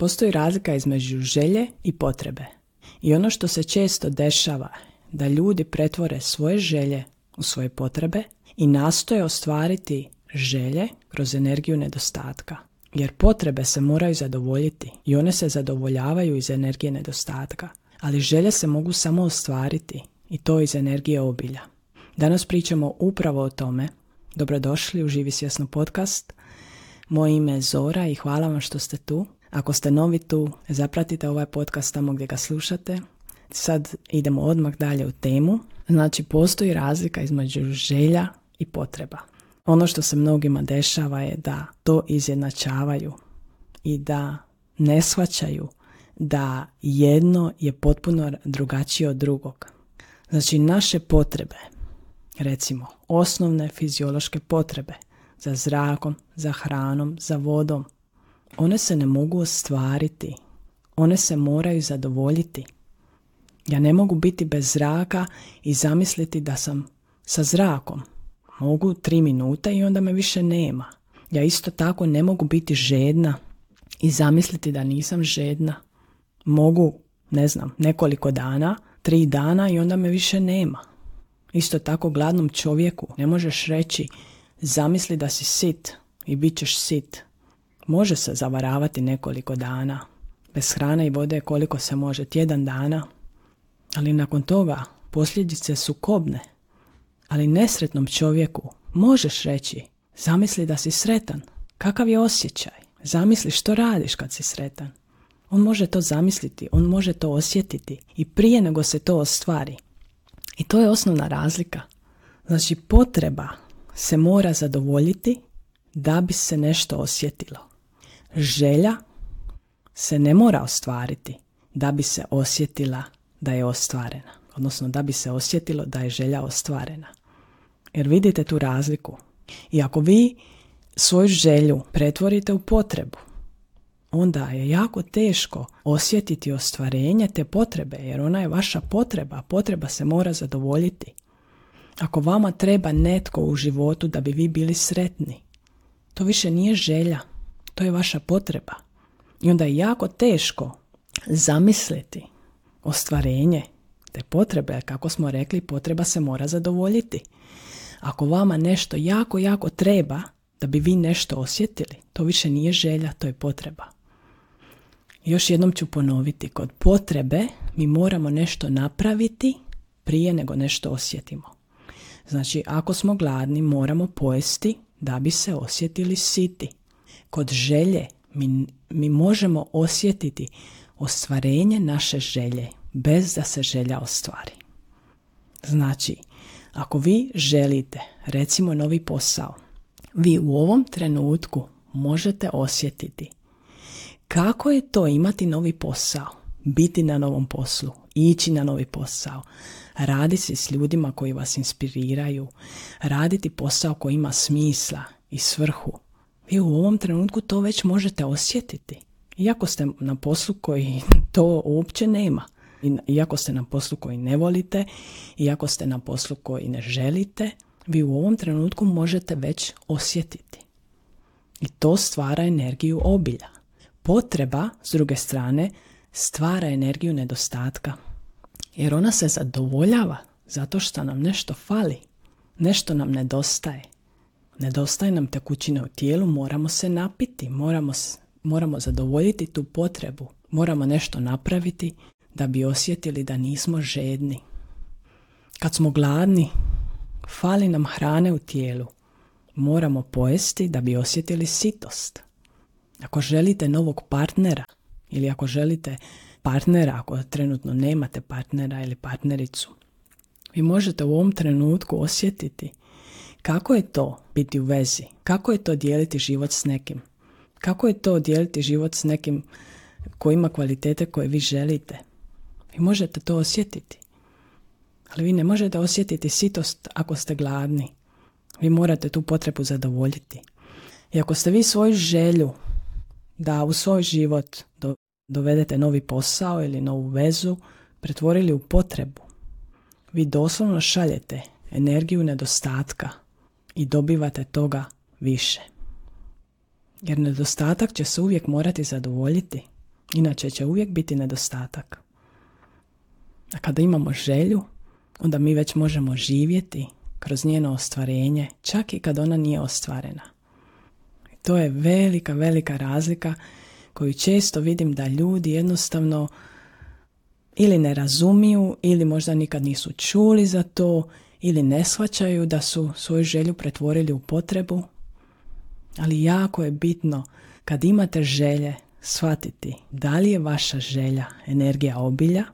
Postoji razlika između želje i potrebe. I ono što se često dešava, da ljudi pretvore svoje želje u svoje potrebe i nastoje ostvariti želje kroz energiju nedostatka. Jer potrebe se moraju zadovoljiti i one se zadovoljavaju iz energije nedostatka. Ali želje se mogu samo ostvariti i to iz energije obilja. Danas pričamo upravo o tome. Dobrodošli u Živi svjesno podcast. Moje ime je Zora i hvala vam što ste tu. Ako ste novi tu, zapratite ovaj podcast tamo gdje ga slušate. Sad idemo odmah dalje u temu. Znači, postoji razlika između želja i potreba. Ono što se mnogima dešava je da to izjednačavaju i da ne shvaćaju da jedno je potpuno drugačije od drugog. Znači, naše potrebe, recimo osnovne fiziološke potrebe za zrakom, za hranom, za vodom, one se ne mogu ostvariti. One se moraju zadovoljiti. Ja ne mogu biti bez zraka i zamisliti da sam sa zrakom. Mogu 3 minute i onda me više nema. Ja isto tako ne mogu biti žedna i zamisliti da nisam žedna. Mogu, nekoliko dana, 3 dana i onda me više nema. Isto tako gladnom čovjeku ne možeš reći zamisli da si sit i bit ćeš sit. Može se zavaravati nekoliko dana. Bez hrane i vode koliko se može, tjedan dana. Ali nakon toga posljedice su kobne. Ali nesretnom čovjeku možeš reći zamisli da si sretan. Kakav je osjećaj? Zamisli što radiš kad si sretan. On može to zamisliti, on može to osjetiti i prije nego se to ostvari. I to je osnovna razlika. Znači, potreba se mora zadovoljiti da bi se nešto osjetilo. Želja se ne mora ostvariti da bi se osjetila da je ostvarena. Odnosno da bi se osjetilo da je želja ostvarena. Jer vidite tu razliku. I ako vi svoju želju pretvorite u potrebu, onda je jako teško osjetiti ostvarenje te potrebe, jer ona je vaša potreba. Potreba se mora zadovoljiti. Ako vama treba netko u životu da bi vi bili sretni, to više nije želja, to je vaša potreba. I onda je jako teško zamisliti ostvarenje te potrebe, kako smo rekli, potreba se mora zadovoljiti. Ako vama nešto jako, jako treba da bi vi nešto osjetili, to više nije želja, to je potreba. Još jednom ću ponoviti, kod potrebe mi moramo nešto napraviti prije nego nešto osjetimo. Znači, ako smo gladni, moramo pojesti da bi se osjetili siti. Kod želje mi možemo osjetiti ostvarenje naše želje bez da se želja ostvari. Znači, ako vi želite, recimo, novi posao, vi u ovom trenutku možete osjetiti kako je to imati novi posao, biti na novom poslu, ići na novi posao, raditi s ljudima koji vas inspiriraju, raditi posao koji ima smisla i svrhu. Vi u ovom trenutku to već možete osjetiti. Iako ste na poslu koji to uopće nema. Iako ste na poslu koji ne volite, iako ste na poslu koji ne želite, vi u ovom trenutku možete već osjetiti. I to stvara energiju obilja. Potreba, s druge strane, stvara energiju nedostatka. Jer ona se zadovoljava zato što nam nešto fali. Nešto nam nedostaje. Nedostaje nam tekućine u tijelu, moramo se napiti, moramo zadovoljiti tu potrebu. Moramo nešto napraviti da bi osjetili da nismo žedni. Kad smo gladni, fali nam hrane u tijelu. Moramo pojesti da bi osjetili sitost. Ako želite novog partnera ili ako želite partnera, ako trenutno nemate partnera ili partnericu, vi možete u ovom trenutku osjetiti kako je to biti u vezi, kako je to dijeliti život s nekim, kako je to dijeliti život s nekim koji ima kvalitete koje vi želite. Vi možete to osjetiti. Ali vi ne možete osjetiti sitost ako ste gladni. Vi morate tu potrebu zadovoljiti. I ako ste vi svoju želju da u svoj život dovedete novi posao ili novu vezu pretvorili u potrebu, vi doslovno šaljete energiju nedostatka i dobivate toga više. Jer nedostatak će se uvijek morati zadovoljiti. Inače će uvijek biti nedostatak. A kada imamo želju, onda mi već možemo živjeti kroz njeno ostvarenje, čak i kad ona nije ostvarena. I to je velika, velika razlika koju često vidim da ljudi jednostavno ili ne razumiju, ili možda nikad nisu čuli za to, ili ne shvaćaju da su svoju želju pretvorili u potrebu. Ali jako je bitno kad imate želje shvatiti da li je vaša želja energija obilja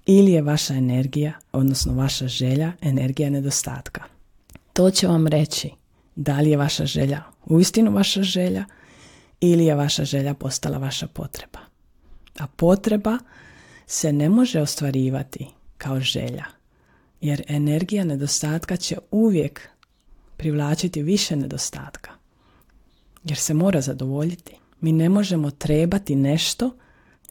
ili je vaša energija, odnosno vaša želja energija nedostatka. To će vam reći da li je vaša želja uistinu vaša želja ili je vaša želja postala vaša potreba. A potreba se ne može ostvarivati kao želja, jer energija nedostatka će uvijek privlačiti više nedostatka, jer se mora zadovoljiti. Mi ne možemo trebati nešto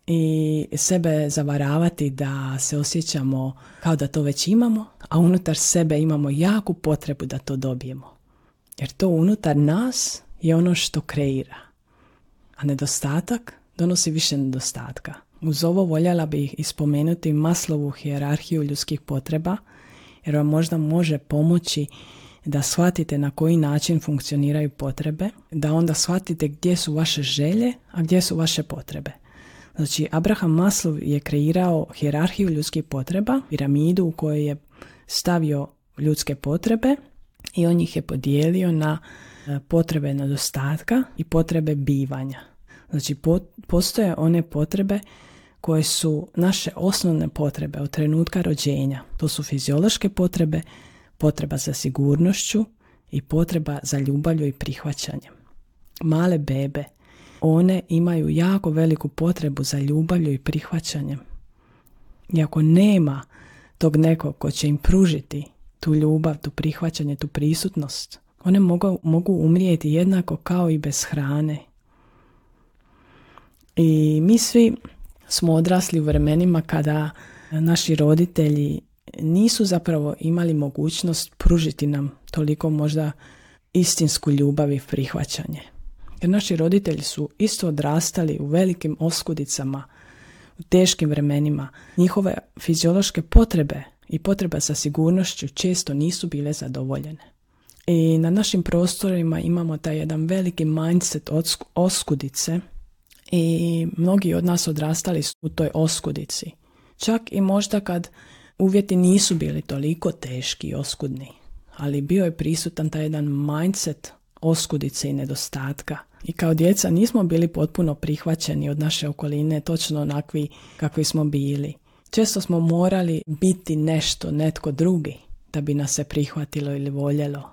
i sebe zavaravati da se osjećamo kao da to već imamo, a unutar sebe imamo jaku potrebu da to dobijemo. Jer to unutar nas je ono što kreira. A nedostatak donosi više nedostatka. Uz ovo voljela bih ispomenuti Maslovu hijerarhiju ljudskih potreba, jer vam možda može pomoći da shvatite na koji način funkcioniraju potrebe, da onda shvatite gdje su vaše želje, a gdje su vaše potrebe. Znači, Abraham Maslow je kreirao hijerarhiju ljudskih potreba, piramidu u kojoj je stavio ljudske potrebe i on ih je podijelio na potrebe nedostatka i potrebe bivanja. Znači, postoje one potrebe koje su naše osnovne potrebe od trenutka rođenja. To su fiziološke potrebe, potreba za sigurnošću i potreba za ljubavlju i prihvaćanjem. Male bebe, one imaju jako veliku potrebu za ljubavlju i prihvaćanjem. I ako nema tog nekog ko će im pružiti tu ljubav, tu prihvaćanje, tu prisutnost, one mogu umrijeti jednako kao i bez hrane. I mi svi smo odrasli u vremenima kada naši roditelji nisu zapravo imali mogućnost pružiti nam toliko možda istinsku ljubav i prihvaćanje. Jer naši roditelji su isto odrastali u velikim oskudicama, u teškim vremenima. Njihove fiziološke potrebe i potreba za sigurnošću često nisu bile zadovoljene. I na našim prostorima imamo taj jedan veliki mindset oskudice i mnogi od nas odrastali su u toj oskudici. Čak i možda kad uvjeti nisu bili toliko teški i oskudni, ali bio je prisutan taj jedan mindset oskudice i nedostatka. I kao djeca nismo bili potpuno prihvaćeni od naše okoline, točno onakvi kakvi smo bili. Često smo morali biti nešto, netko drugi, da bi nas se prihvatilo ili voljelo.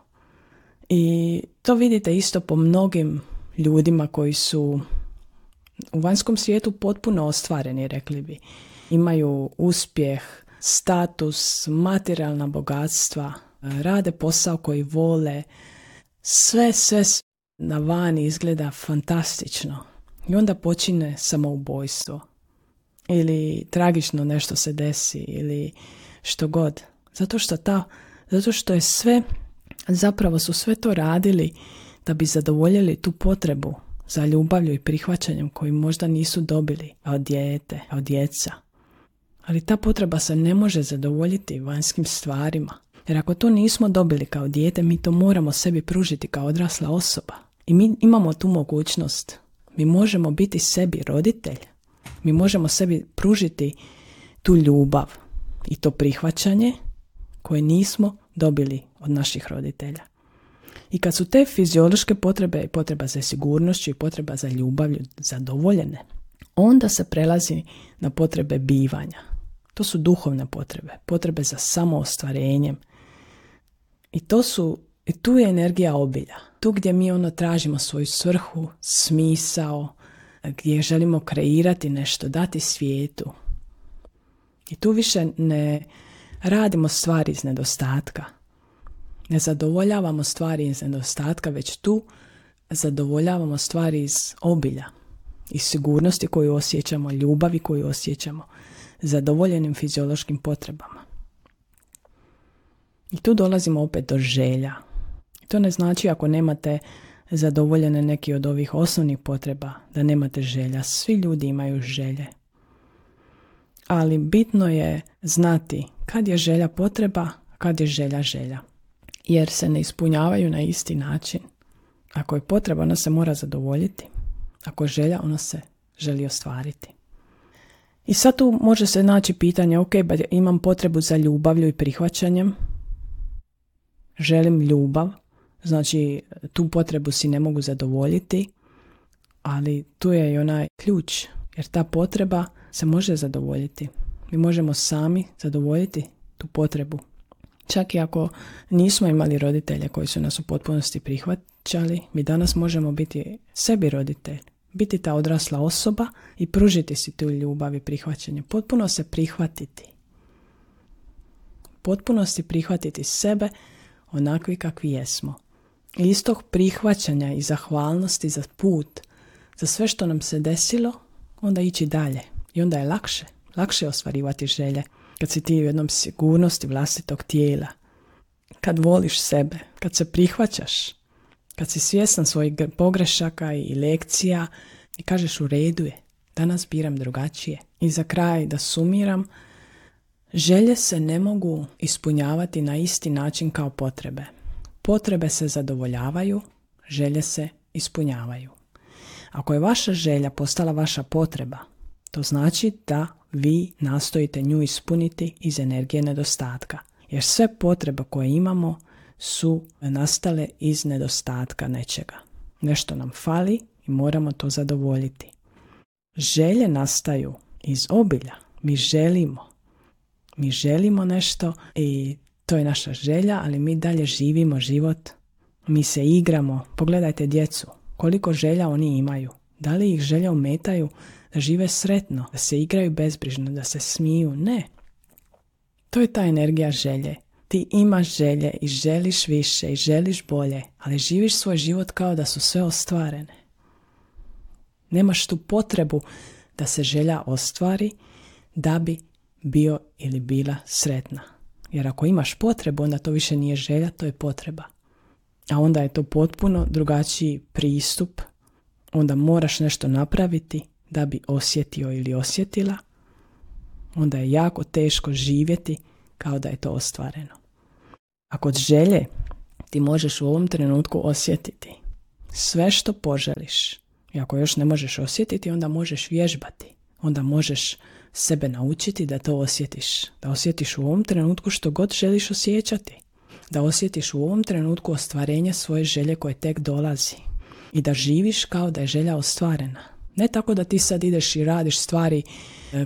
I to vidite isto po mnogim ljudima koji su u vanjskom svijetu potpuno ostvareni, rekli bi. Imaju uspjeh, status, materijalna bogatstva, rade posao koji vole, sve na vani izgleda fantastično. I onda počine samoubojstvo. Ili tragično nešto se desi, ili što god. Zato što je sve, zapravo su sve to radili da bi zadovoljili tu potrebu za ljubavlju i prihvaćanjem koju možda nisu dobili od dijete, od djeca. Ali ta potreba se ne može zadovoljiti vanjskim stvarima. Jer ako to nismo dobili kao dijete, mi to moramo sebi pružiti kao odrasla osoba. I mi imamo tu mogućnost. Mi možemo biti sebi roditelj. Mi možemo sebi pružiti tu ljubav i to prihvaćanje koje nismo dobili od naših roditelja. I kad su te fiziološke potrebe i potreba za sigurnošću i potreba za ljubavlju zadovoljene, onda se prelazi na potrebe bivanja. To su duhovne potrebe, potrebe za samoostvarenjem. I tu je energija obilja. Tu gdje mi tražimo svoju svrhu, smisao, gdje želimo kreirati nešto, dati svijetu. I tu više ne radimo stvari iz nedostatka. Ne zadovoljavamo stvari iz nedostatka, već tu zadovoljavamo stvari iz obilja, iz sigurnosti koju osjećamo, ljubavi koju osjećamo, zadovoljenim fiziološkim potrebama. I tu dolazimo opet do želja. To ne znači ako nemate zadovoljene neki od ovih osnovnih potreba, da nemate želja. Svi ljudi imaju želje. Ali bitno je znati kad je želja potreba, kad je želja želja. Jer se ne ispunjavaju na isti način. Ako je potreba, ona se mora zadovoljiti. Ako je želja, ona se želi ostvariti. I sad tu može se naći pitanje, ok, imam potrebu za ljubavlju i prihvaćanjem. Želim ljubav, znači tu potrebu si ne mogu zadovoljiti, ali tu je i onaj ključ, jer ta potreba se može zadovoljiti. Mi možemo sami zadovoljiti tu potrebu. Čak i ako nismo imali roditelje koji su nas u potpunosti prihvaćali, mi danas možemo biti sebi roditelj, biti ta odrasla osoba i pružiti si tu ljubav i prihvaćanje. Potpuno se prihvatiti. Potpunosti prihvatiti sebe onakvi kakvi jesmo. I iz tog prihvaćanja i zahvalnosti za put, za sve što nam se desilo, onda ići dalje. I onda je lakše ostvarivati želje. Kad si ti u jednom sigurnosti vlastitog tijela, kad voliš sebe, kad se prihvaćaš, kad si svjestan svojih pogrešaka i lekcija i kažeš u redu je, danas biram drugačije. I za kraj da sumiram, želje se ne mogu ispunjavati na isti način kao potrebe. Potrebe se zadovoljavaju, želje se ispunjavaju. Ako je vaša želja postala vaša potreba, to znači da vi nastojite nju ispuniti iz energije nedostatka. Jer sve potrebe koje imamo su nastale iz nedostatka nečega. Nešto nam fali i moramo to zadovoljiti. Želje nastaju iz obilja. Mi želimo nešto i to je naša želja, ali mi dalje živimo život. Mi se igramo. Pogledajte djecu. Koliko želja oni imaju. Da li ih želje ometaju da žive sretno, da se igraju bezbrižno, da se smiju? Ne. To je ta energija želje. Ti imaš želje i želiš više i želiš bolje, ali živiš svoj život kao da su sve ostvarene. Nemaš tu potrebu da se želja ostvari da bi bio ili bila sretna. Jer ako imaš potrebu, onda to više nije želja, to je potreba. A onda je to potpuno drugačiji pristup. Onda moraš nešto napraviti da bi osjetio ili osjetila. Onda je jako teško živjeti kao da je to ostvareno. A kod želje ti možeš u ovom trenutku osjetiti sve što poželiš. I ako još ne možeš osjetiti, onda možeš vježbati. Onda možeš sebe naučiti da to osjetiš. Da osjetiš u ovom trenutku što god želiš osjećati. Da osjetiš u ovom trenutku ostvarenje svoje želje koje tek dolazi. I da živiš kao da je želja ostvarena. Ne tako da ti sad ideš i radiš stvari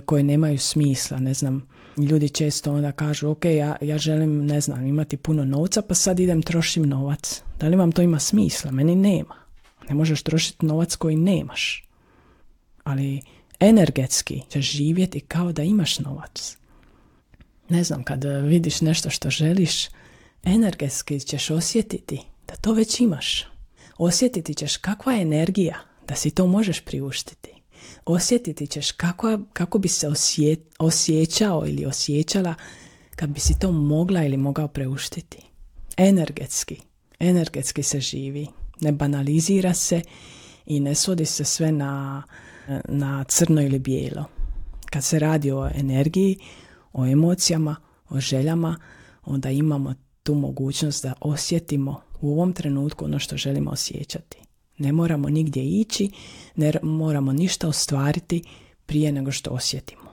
koje nemaju smisla. Ne znam, ljudi često onda kažu ok, ja želim, ne znam, imati puno novca pa sad idem trošim novac. Da li vam to ima smisla? Meni nema. Ne možeš trošiti novac koji nemaš. Ali energetski ćeš živjeti kao da imaš novac. Ne znam, kad vidiš nešto što želiš, energetski ćeš osjetiti da to već imaš. Osjetiti ćeš kakva je energija da si to možeš priuštiti. Osjetiti ćeš kako bi se osjećao ili osjećala kad bi si to mogla ili mogao priuštiti. Energetski se živi. Ne banalizira se i ne svodi se sve na crno ili bijelo. Kad se radi o energiji, o emocijama, o željama, onda imamo tu mogućnost da osjetimo u ovom trenutku ono što želimo osjećati. Ne moramo nigdje ići, ne moramo ništa ostvariti prije nego što osjetimo.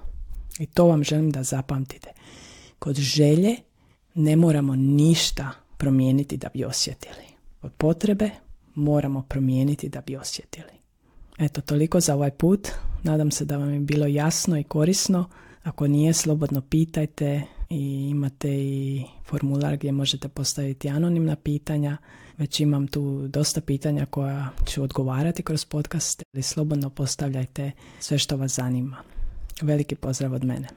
I to vam želim da zapamtite. Kod želje ne moramo ništa promijeniti da bi osjetili. Kod potrebe moramo promijeniti da bi osjetili. Eto, toliko za ovaj put. Nadam se da vam je bilo jasno i korisno. Ako nije, slobodno pitajte i imate i formular gdje možete postaviti anonimna pitanja. Već imam tu dosta pitanja koja ću odgovarati kroz podcast, ali slobodno postavljajte sve što vas zanima. Veliki pozdrav od mene.